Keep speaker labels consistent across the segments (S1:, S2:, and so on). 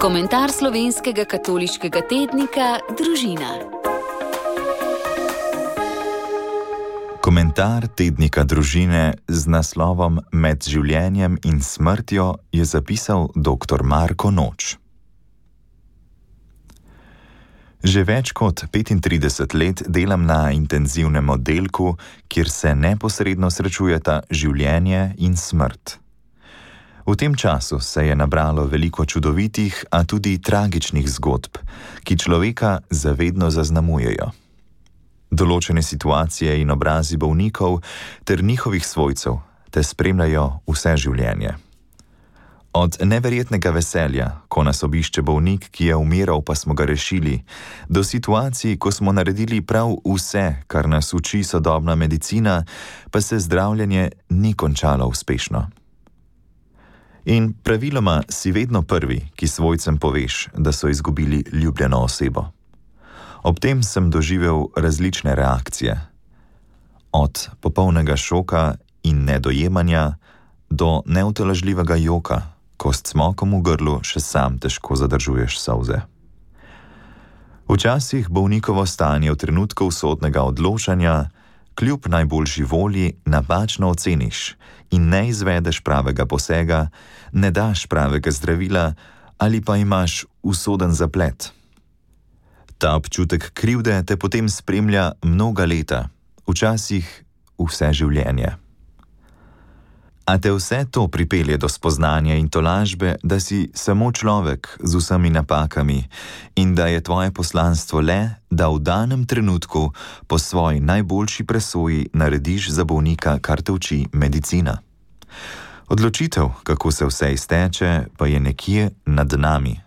S1: Komentar slovenskega katoliškega tednika Družina.
S2: Komentar tednika Družine z naslovom Med življenjem in smrtjo je zapisal dr. Marko Noč. Že več kot 35 let delam na intenzivnem oddelku, kjer se neposredno srečujeta življenje in smrt. V tem času se je nabralo veliko čudovitih, a tudi tragičnih zgodb, ki človeka zavedno zaznamujejo. Določene situacije in obrazi bolnikov ter njihovih svojcev te spremljajo vse življenje. Od neverjetnega veselja, ko nas obišče bolnik, ki je umiral, pa smo ga rešili, do situacij, ko smo naredili prav vse, kar nas uči sodobna medicina, pa se zdravljenje ni končalo uspešno. In praviloma si vedno prvi, ki svojcem poveš, da so izgubili ljubljeno osebo. Ob tem sem doživel različne reakcije. Od popolnega šoka in nedojemanja do neutolažljivega joka, ko s cmokom v grlu še sam težko zadržuješ solze. Včasih bolnikovo stanje v trenutku usodnega odločanja kljub najboljši volji napačno oceniš in ne izvedeš pravega posega, ne daš pravega zdravila ali pa imaš usoden zaplet. Ta občutek krivde te potem spremlja mnoga leta, včasih vse življenje. A te vse to pripelje do spoznanja in tolažbe, da si samo človek z vsemi napakami in da je tvoje poslanstvo le, da v danem trenutku po svoji najboljši presoji narediš za bolnika, kar te uči medicina. Odločitev, kako se vse izteče, pa je nekje nad nami.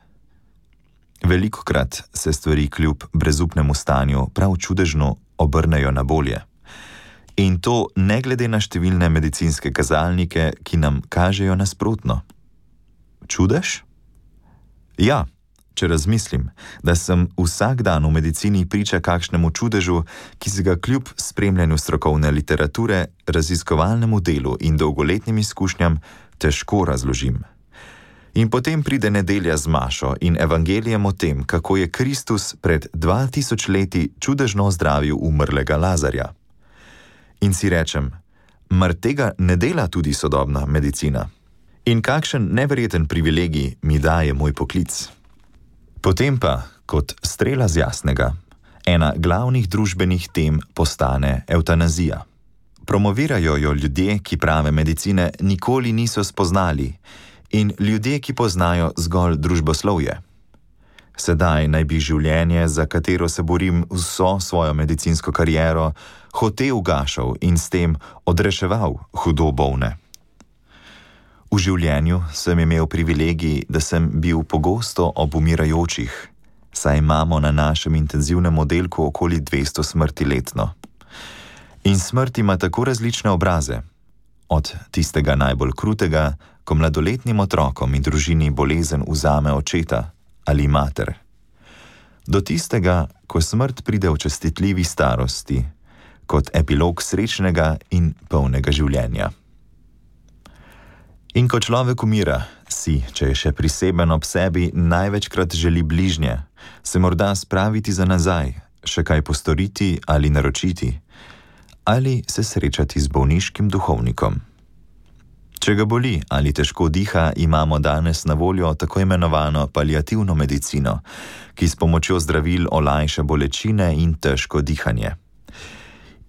S2: Velikokrat se stvari kljub brezupnemu stanju prav čudežno obrnejo na bolje. In to ne glede na številne medicinske kazalnike, ki nam kažejo nasprotno. Čudež? Ja, če razmislim, da sem vsak dan v medicini priča kakšnemu čudežu, ki se ga kljub spremljanju strokovne literature, raziskovalnemu delu in dolgoletnim izkušnjam težko razložim. In potem pride nedelja z mašo in evangelijem o tem, kako je Kristus pred 2000 leti čudežno zdravil umrlega Lazarja. In si rečem, mar tega ne dela tudi sodobna medicina? In kakšen neverjeten privilegij mi daje moj poklic? Potem pa, kot strela z jasnega, ena glavnih družbenih tem postane evtanazija. Promovirajo jo ljudje, ki prave medicine nikoli niso spoznali, in ljudje, ki poznajo zgolj družboslovje. Sedaj naj bi življenje, za katero se borim vso svojo medicinsko kariero, hote ugašal in s tem odreševal hudo bolne. V življenju sem imel privilegij, da sem bil pogosto ob umirajočih, saj imamo na našem intenzivnem oddelku okoli 200 smrti letno. In smrt ima tako različne obraze, od tistega najbolj krutega, ko mladoletnim otrokom in družini bolezen vzame očeta ali mater, do tistega, ko smrt pride v častitljivi starosti, kot epilog srečnega in polnega življenja. In ko človek umira, si, če je še priseben ob sebi, največkrat želi bližnje, se morda spraviti za nazaj, še kaj postoriti ali naročiti, ali se srečati z bolniškim duhovnikom. Če ga boli ali težko diha, imamo danes na voljo tako imenovano paliativno medicino, ki s pomočjo zdravil olajša bolečine in težko dihanje.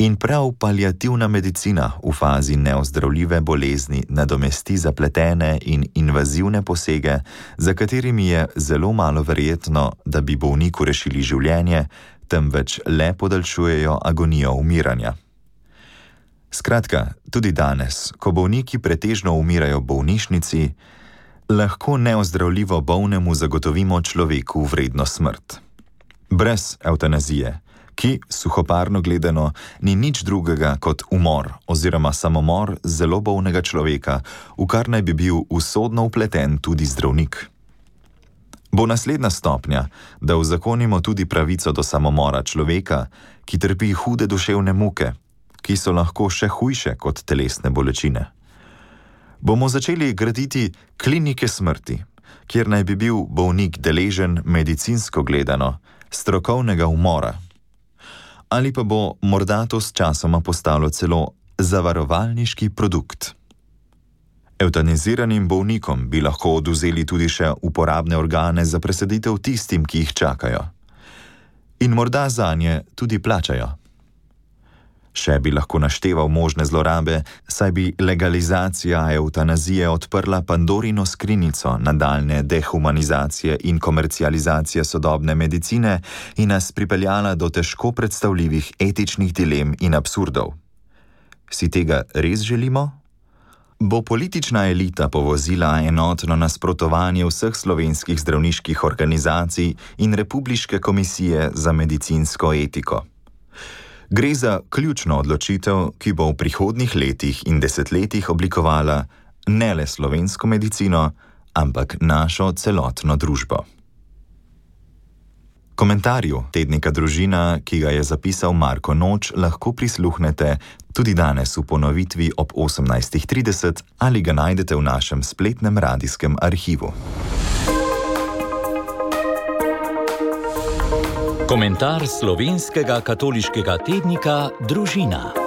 S2: In prav paliativna medicina v fazi neozdravljive bolezni nadomesti zapletene in invazivne posege, za katerimi je zelo malo verjetno, da bi bolniku rešili življenje, temveč le podaljšujejo agonijo umiranja. Skratka, tudi danes, ko bolniki pretežno umirajo v bolnišnici, lahko neozdravljivo bolnemu zagotovimo človeku vredno smrt. Brez evtanazije, ki, suhoparno gledano, ni nič drugega kot umor oziroma samomor zelo bolnega človeka, v kar naj bi bil usodno vpleten tudi zdravnik. Bo naslednja stopnja, da uzakonimo tudi pravico do samomora človeka, ki trpi hude duševne muke, ki so lahko še hujše kot telesne bolečine. Bomo začeli graditi klinike smrti, kjer naj bi bil bolnik deležen medicinsko gledano strokovnega umora. Ali pa bo morda to s časoma postalo celo zavarovalniški produkt. Evtaniziranim bolnikom bi lahko odvzeli tudi še uporabne organe za presaditev tistim, ki jih čakajo. In morda zanje tudi plačajo. Še bi lahko našteval možne zlorabe, saj bi legalizacija evtanazije odprla Pandorino skrinjico nadaljne dehumanizacije in komercializacije sodobne medicine in nas pripeljala do težko predstavljivih etičnih dilem in absurdov. Si tega res želimo? Bo politična elita povozila enotno nasprotovanje vseh slovenskih zdravniških organizacij in Republiške komisije za medicinsko etiko? Gre za ključno odločitev, ki bo v prihodnjih letih in desetletjih oblikovala ne le slovensko medicino, ampak našo celotno družbo. Komentarju tednika Družina, ki ga je zapisal Marko Noč, lahko prisluhnete tudi danes v ponovitvi ob 18:30 ali ga najdete v našem spletnem radijskem arhivu.
S3: Komentar slovenskega katoliškega tednika Družina.